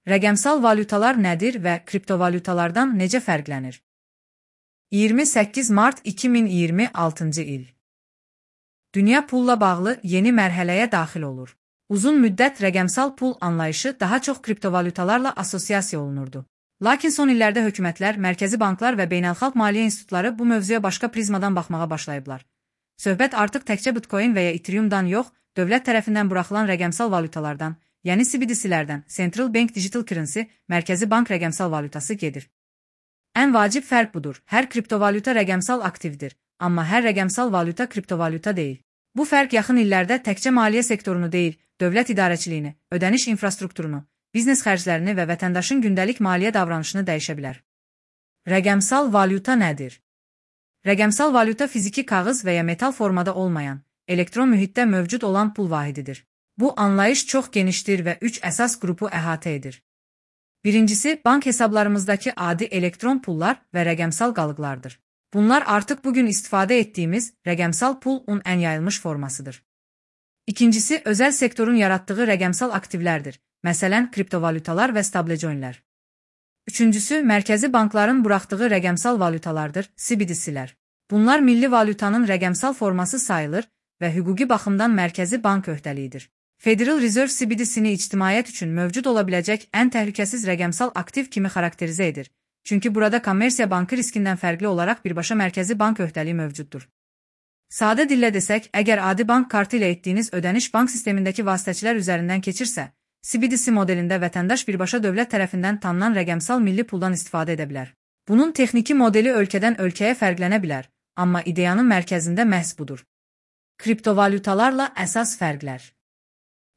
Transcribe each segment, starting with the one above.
Rəqəmsal valyutalar nədir və kriptovalyutalardan necə fərqlənir? 28 mart 2026-cı il. Dünya pulla bağlı yeni mərhələyə daxil olur. Uzun müddət rəqəmsal pul anlayışı daha çox kriptovalyutalarla assosiasiya olunurdu. Lakin son illərdə hökumətlər, mərkəzi banklar və beynəlxalq maliyyə institutları bu mövzuya başqa prizmadan baxmağa başlayıblar. Söhbət artıq təkcə Bitcoin və ya Ethereum'dan yox, dövlət tərəfindən buraxılan rəqəmsal valyutalardan, yəni CBDC-lərdən, Central Bank Digital Currency, mərkəzi bank rəqəmsal valyutası gedir. Ən vacib fərq budur. Hər kriptovalyuta rəqəmsal aktivdir, amma hər rəqəmsal valyuta kriptovalyuta deyil. Bu fərq yaxın illərdə təkcə maliyyə sektorunu deyil, dövlət idarəçiliyini, ödəniş infrastrukturunu, biznes xərclərini və vətəndaşın gündəlik maliyyə davranışını dəyişə bilər. Rəqəmsal valyuta nədir? Rəqəmsal valyuta fiziki kağız və ya metal formada olmayan, elektron mühitdə mövcud olan pul vahididir. Bu anlayış çox genişdir və 3 əsas qrupu əhatə edir. Birincisi, bank hesablarımızdakı adi elektron pullar və rəqəmsal qalıqlardır. Bunlar artıq bugün istifadə etdiyimiz rəqəmsal pulun ən yayılmış formasıdır. İkincisi, özəl sektorun yaratdığı rəqəmsal aktivlərdir, məsələn, kriptovalyutalar və stablecoinlər. Üçüncüsü, mərkəzi bankların buraxdığı rəqəmsal valyutalardır, CBDC-lər. Bunlar milli valyutanın rəqəmsal forması sayılır və hüquqi baxımdan mərkəzi bank öhdəliyidir. Federal Reserve CBDC-ni ictimaiyyət üçün mövcud ola biləcək ən təhlükəsiz rəqəmsal aktiv kimi xarakterizə edir. Çünki burada kommersiya bankı riskindən fərqli olaraq birbaşa mərkəzi bank öhdəliyi mövcuddur. Sadə dillə desək, əgər adi bank kartı ilə etdiyiniz ödəniş bank sistemindəki vasitəçilər üzərindən keçirsə, CBDC modelində vətəndaş birbaşa dövlət tərəfindən tanınan rəqəmsal milli puldan istifadə edə bilər. Bunun texniki modeli ölkədən ölkəyə fərqlənə bilər, amma ideyanın mərkəzində məhz budur. Kriptovalyutalarla əsas fərqlər.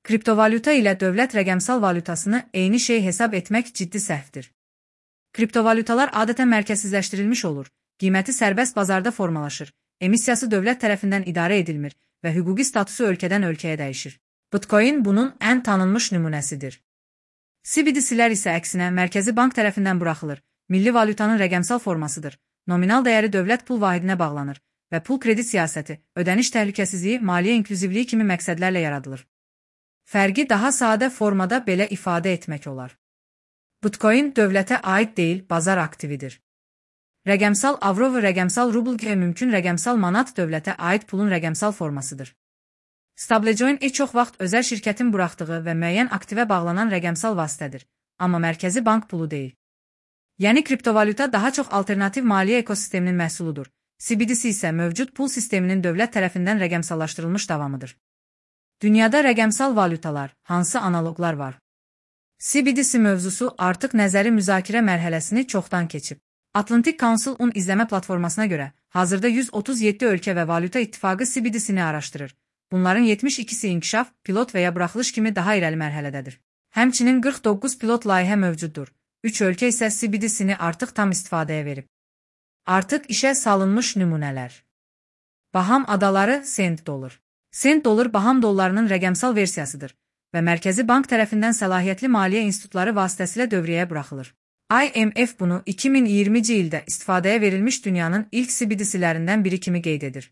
Kriptovalyuta ilə dövlət rəqəmsal valyutasını eyni şey hesab etmək ciddi səhvdir. Kriptovalyutalar adətən mərkəzsizləşdirilmiş olur, qiyməti sərbəst bazarda formalaşır, emissiyası dövlət tərəfindən idarə edilmir və hüquqi statusu ölkədən ölkəyə dəyişir. Bitcoin bunun ən tanınmış nümunəsidir. CBDC-lər isə əksinə mərkəzi bank tərəfindən buraxılır, milli valyutanın rəqəmsal formasıdır, nominal dəyəri dövlət pul vahidinə bağlanır və pul kredit siyasəti, ödəniş təhlükəsizliyi, maliyyə inklüzivliyi kimi məqsədlərlə yaradılır. Fərqi daha sadə formada belə ifadə etmək olar. Bitcoin dövlətə aid deyil, bazar aktividir. Rəqəmsal avro və rəqəmsal rubl kimi mümkün rəqəmsal manat dövlətə aid pulun rəqəmsal formasıdır. Stablecoin çox vaxt özəl şirkətin buraxdığı və müəyyən aktivə bağlanan rəqəmsal vasitədir, amma mərkəzi bank pulu deyil. Yəni kriptovalyuta daha çox alternativ maliyyə ekosisteminin məhsuludur. CBDC isə mövcud pul sisteminin dövlət tərəfindən rəqəmsallaşdırılmış davamıdır. Dünyada rəqəmsal valyutalar, hansı analoqlar var? CBDC mövzusu artıq nəzəri müzakirə mərhələsini çoxdan keçib. Atlantic Council-un izləmə platformasına görə, hazırda 137 ölkə və valyuta ittifaqı CBDC-ni araşdırır. Bunların 72-si inkişaf, pilot və ya buraxılış kimi daha irəli mərhələdədir. Həmçinin 49 pilot layihə mövcuddur. 3 ölkə isə CBDC-ni artıq tam istifadəyə verib. Artıq işə salınmış nümunələr. Baham adaları sent dollar. Sent dollar Baham dollarının rəqəmsal versiyasıdır və mərkəzi bank tərəfindən səlahiyyətli maliyyə institutları vasitəsilə dövriyyəyə buraxılır. IMF bunu 2020-ci ildə istifadəyə verilmiş dünyanın ilk CBDC-lərindən biri kimi qeyd edir.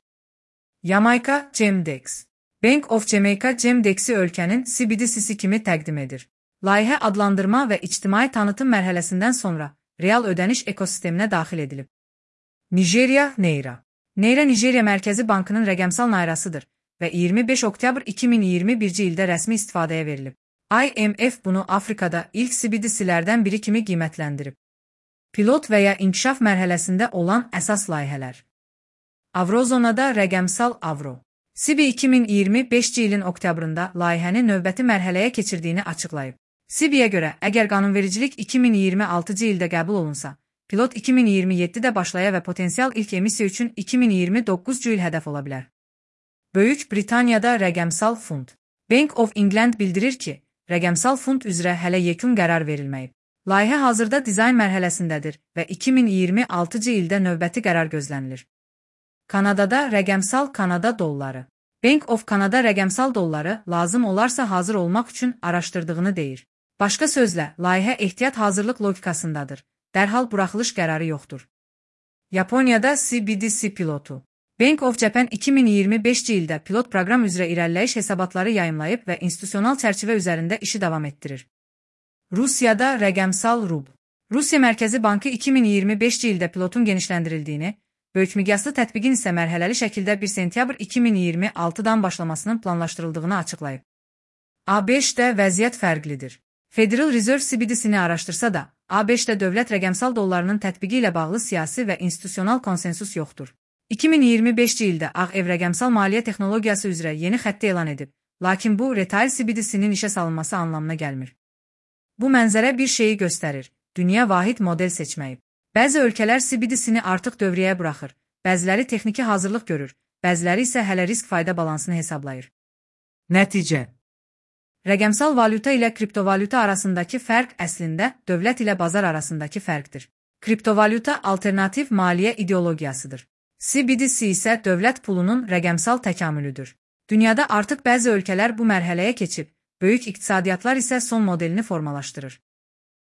Jamaica GEMDEX. Bank of Jamaica GEMDEX-i ölkənin CBDC-si kimi təqdim edir. Layihə adlandırma və ictimai tanıtım mərhələsindən sonra real ödəniş ekosisteminə daxil edilib. Nigeriya Naira. Naira Nigeriya Mərkəzi Bankının rəqəmsal nairasıdır və 25 oktyabr 2021-ci ildə rəsmi istifadəyə verilib. IMF bunu Afrikada ilk CBDC-lərdən biri kimi qiymətləndirib. Pilot və ya inkişaf mərhələsində olan əsas layihələr. Avrozonada rəqəmsal avro. CBI 2025-ci ilin oktyabrında layihəni növbəti mərhələyə keçirdiyini açıqlayıb. CBI-yə görə, əgər qanunvericilik 2026-cı ildə qəbul olunsa, pilot 2027-də başlaya və potensial ilk emissiya üçün 2029-cu il hədəf ola bilər. Böyük Britaniyada rəqəmsal fund. Bank of England bildirir ki, rəqəmsal fund üzrə hələ yekun qərar verilməyib. Layihə hazırda dizayn mərhələsindədir və 2026-cı ildə növbəti qərar gözlənilir. Kanadada rəqəmsal Kanada dolları. Bank of Canada rəqəmsal dolları lazım olarsa hazır olmaq üçün araşdırdığını deyir. Başqa sözlə, layihə ehtiyat hazırlıq logikasındadır. Dərhal buraxılış qərarı yoxdur. Yaponiyada CBDC pilotu. Bank of Japan 2025-ci ildə pilot proqram üzrə irəliləyiş hesabatları yayımlayıb və institusional çərçivə üzərində işi davam etdirir. Rusiyada rəqəmsal rubl. Rusiya Mərkəzi Bankı 2025-ci ildə pilotun genişləndirildiyini, böyük miqyaslı tətbiqin isə mərhələli şəkildə 1 sentyabr 2026-dan başlamasının planlaşdırıldığını açıqlayıb. ABŞ-də vəziyyət fərqlidir. Federal Reserve CBDC-ni araşdırsa da, ABŞ-də dövlət rəqəmsal dollarının tətbiqi ilə bağlı siyasi və institusional konsensus yoxdur. 2025-ci ildə Ağ Ev rəqəmsal maliyyə texnologiyası üzrə yeni xətti elan edib, lakin bu retail CBDC-nin işə salınması anlamına gəlmir. Bu mənzərə bir şeyi göstərir. Dünya vahid model seçməyib. Bəzi ölkələr CBDC-ni artıq dövriyyəyə buraxır, bəziləri texniki hazırlıq görür, bəziləri isə hələ risk-fayda balansını hesablayır. Nəticə: Rəqəmsal valyuta ilə kriptovalyuta arasındakı fərq əslində dövlət ilə bazar arasındakı fərqdir. Kriptovalyuta alternativ maliyyə ideologiyasıdır. CBDC isə dövlət pulunun rəqəmsal təkamülüdür. Dünyada artıq bəzi ölkələr bu mərhələyə keçib, böyük iqtisadiyyatlar isə son modelini formalaşdırır.